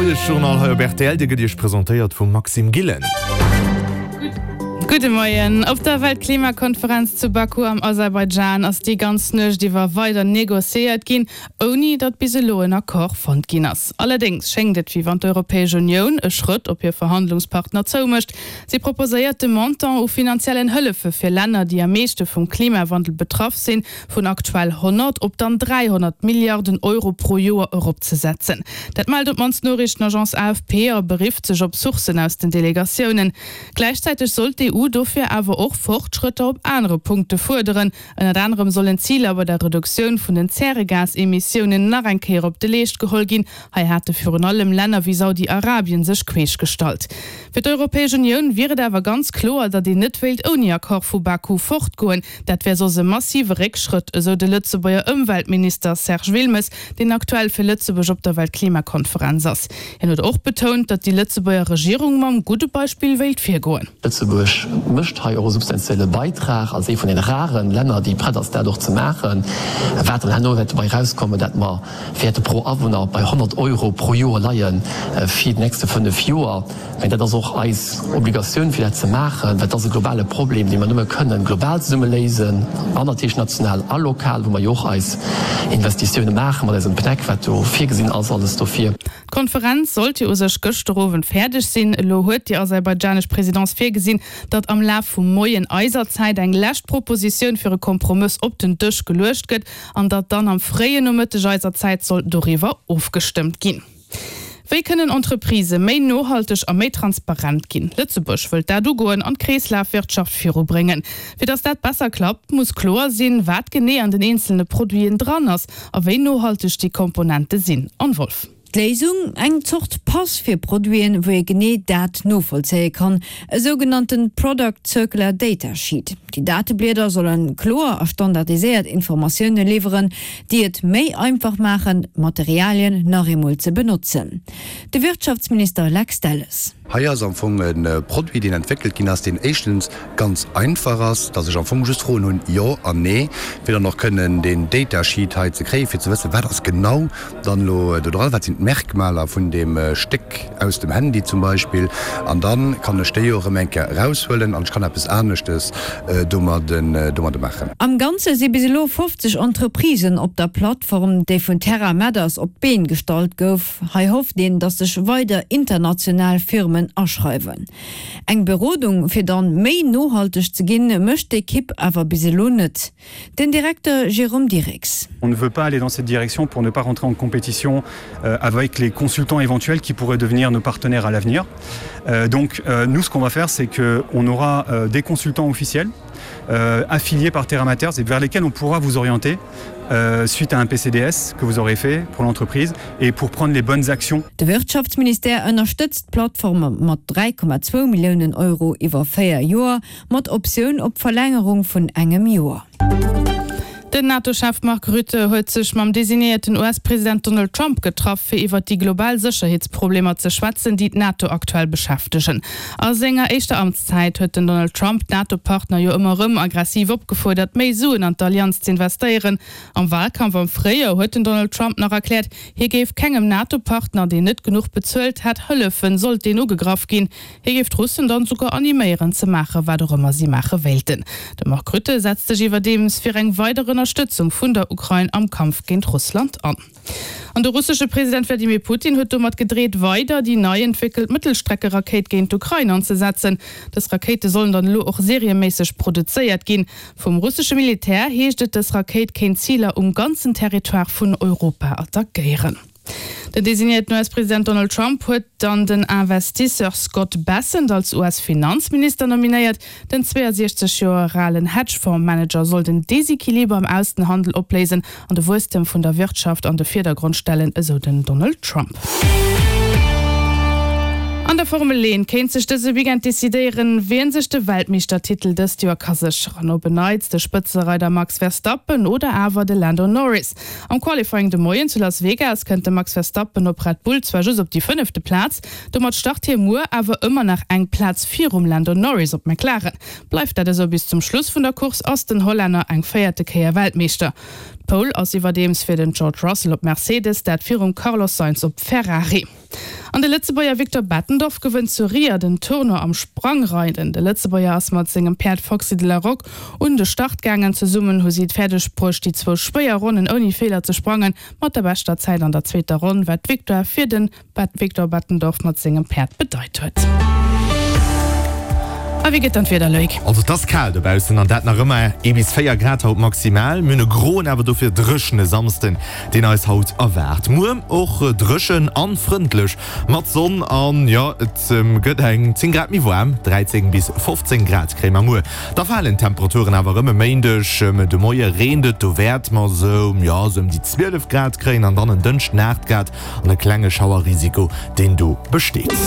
Moiesjournal hei op rtl, dee gëtt Iech presentéiert vum Maxime Gillen. Gudde Moien. Op der Weltklimakonferenz zu Baku am Aserbaidschan ass déi ganz Nuecht iwwer weider negociéiert ginn, ouni datt bis elo en Accord fonnt ginn ass. Allerdéngs schéngt et, wéi wann d'Europäesch Unioun e Schrëtt op hir Verhandlungspartner zoumécht. Si proposéiert de Montant u finanziellen Hëllefe fir Länner, déi am meeschte vum Klimawandel betraff sinn, vun aktuell 100 op dann 300 Milliarden Euro pro Joer eropzesetzen. Dat mellt op d'mannst d'Noriichtenagence AFP a berifft sech op Sourcen aus den Delegatiounen. Gläichzäiteg soll d'EU dofir awer och Fortschrëtter op anere Punkte fuerderen. Ënnert anerem sollen d'Ziler bei der Reduktioun vun den Zäregasemissiounen nach eng Kéier op de Leescht geholl ginn. Hei hate virun allem Länner wéi Saudi-Arabien sech queesch gestallt. Fir d'Europäesch Unioun wier et awer ganz kloer, datt een net wéilt ouni Accord vu Baku fortgoen. Dat wär soss e massive Réckschrëtt, esou de Lëtzebuerger Ëmweltminister Serge Wilmes, deen aktuell fir Lëtzebuerg op der Weltklimakonferenz ass. Hien huet och betount, datt déi Lëtzebuerger Regierung mam gudde Beispill wéilt virgoen. Lëtzebuerg mécht hei och e substantielle Beitrag als ee vun den raren Länner, déi prett ass, dat och ze maachen. Wat dann herno wäert dobäi erauskommen, dat mer wäerte pro Awunner bei 100 Euro pro Joer leie fir déi nächste 5 Joer. Mä dat ass och eis Obligatioun, fir dat ze maachen, well et ass e globale Problem, dee mer nëmme kënnen global zesumme léisen, an natierlech national a lokal, wou mer jo och eis Investitioune maache mat eisem PNEC, wat do virgesinn ass, alles dofir. D'Konferenz sollt jo u sech gëschter Owend fäerdeg sinn. Elo huet déi aserbaidjanesch Presidence virgesinn, datt am Laf vum Moien eiser Zäit eng lescht Propositioun fir e Kompromëss op den Dësch geluecht gëtt an datt dann am fréien Nomëtteg eiser Zäit soll doriwwer ofgestëmmt ginn. Wéi kënnen Entreprisë méi nohalteg a méi transparent ginn? Lëtzebuerg wëllt dat ugoen an d'Kreeslafwirtschaft virubréngen. Fir datt dat besser klappt, muss kloer sinn, wat genee an den eenzelne Produiten dran ass a wéi nohalteg déi Komponente sinn. Anne Wolff. D'Léisung, eng Zort Pass fir Produiten, wou ee genee dat novollzéie kann, e sougenannte Product Circular Data Sheet. Déi Dateblieder solle kloer a standardiséiert Informatioune liwweren, déi et méi einfach maachen, Materialien nach eemol ze benotzen. De Wirtschaftsminister Lex Delles. Hei ass am Fong e Produit, deen entwéckelt ginn ass, deen éischtens ganz einfach ass, dass ech am Fong just Froen hunn, Jo an Nee, fir dann och kënnen deen Data Sheet hei ze kréien, fir ze wëssen, wat ass genau dann elo do dran, wat sinn d'Merkmaler vun deem Stéck aus dem Handy zum Beispill, an da kann ech déi jo erëm eng Kéier eraushuelen an ech kann eppes aneschtes domadde maachen. Am Ganze si bis elo 50 Entreprisen op der Plattform, déi vun Terra Matters op d'Been gestallt gouf. Hei hofft een, datt sech weider international Firmen aschreiwen. Eng Berodung, fir dann méi nohalteg ze ginn, mécht d'Ekipp awer bis elo net. Den Direkter Jérôme Direx. On ne veut pas aller dans cette direction pour ne pas rentrer en compétition euh, avec les consultants éventuels qui pourraient devenir nos partenaires à l'avenir. Euh, donc euh, nous ce qu'on va faire c'est qu'on aura euh, des consultants officiels euh, affiliés par Terra Matters et vers lesquels on pourra vous orienter euh, suite à un PCDS que vous aurez fait pour l'entreprise et pour prendre les bonnes actions. De Wirtschaftsministère ënnerstëtzt d'Plattform mat 3,2 Milliounen Euro iwwer 4 Joer. Mat Optioun op Verlängerung vun engem Joer. Den NATO-Chef Mark Rutte huet sech mam designéierten US-President Donald Trump getraff, fir iwwer déi global Sécherheetsproblemer ze schwätzen, déi d'NATO aktuell beschäftegen. A senger éischter Amtszäit huet den Donald Trump d'NATO-Partner jo ëmmer erëm aggressiv opgefuerdert, méi Suen an d'Allianz z'investéieren. Am Walkampf am Fréijoer huet den Donald Trump nach erkläert, hie géif kengem NATO-Partner, deen net genuch bezuelt hätt, hëllefen, sollt deen ugegraff ginn. Hie géif d'Russen dann souguer animéieren ze maachen, wat och ëmmer si maache wéilten. De Mark Rutte setzt sech iwwerdeems fir eng weider Ënnerstëtzung vun der Ukrain am Kampf géint Russland an. An de russesche President Wladimir Putin huet domat gedreet, weider déi nei entwéckelt Mëttelstreckerakéit géint d'Ukrain anzesetzen. Dës Rakéite sollen dann elo och serieméisseg produzéiert ginn. Vum russesche Militär heescht et, dës Rakéit kéint Ziler um ganzen Territoire vun Europa attackéieren. Den designéierten US-President Donald Trump huet dann den Investisseur Scott Bessent als US-Finanzminister nominéiert. Den 62 Joer alen Hedgefonds-Manager soll den Desequiliber am Aussenhandel opléisen an de Wuesstem vun der Wirtschaft an de Virdergrond stellen, esou den Donald Trump. An der Formel 1 kéint sech dëse Weekend decidéieren, wien sech de Weltmeeschtertitel dëst Joer ka sécheren. Op en Neits de Spëtzereider Max Verstappen oder awer de Lando Norris. Am Qualifying de Moien zu Las Vegas kënnt de Max Verstappen op Red Bull zwar just op déi fënnefte Plaz, domat start hie muer awer ëmmer nach eng Plaz virum Lando Norris op McLaren. Bleift dat esou bis zum Schluss vun der Course, ass den Hollänner eng véierte Kéier Weltmeeschter. D'Pole ass iwwerdeems fir den George Russell op Mercedes, dat virum Carlos Sainz op Ferrari. An de Lëtzebuerger Victor Bettendorf gewënnt zu Ria den Tournoi am Sprangreiden. De Lëtzebuerger ass mat sengem Päerd Foxy de la Roque un de Start gaangen. Zesummen hu si et fäerdeg bruecht, déi zwou schwéier Ronnen ouni Feeler ze sprangen. Mat der beschter Zäit an der zweeter Ronn, wat d'Victoire fir de Victor Bettendorf mat sengem Päerd bedeit huet. A wéi gëtt dann d'Wieder, Loïc? Also et ass kal dobaussen an dat nach ëmmer ee bis 4 Grad haut maximal. Mir hunn e groen awer dofir dréchene Samsden, deen eis haut erwaart. Muer och dréchen an frëndlech mat Sonn an jo et gëtt eng 10 Grad méi waarm, 13 bis 15 Grad kréie mer muer. Da falen d'Temperaturen awer erëm. E Méindeg de Moie reent et, do wäerte mer sou, jo, sou ëm déi 12 Grad kréien an dann en Dënschden 8 Grad an e klenge Schauerrisiko, deen do besteet.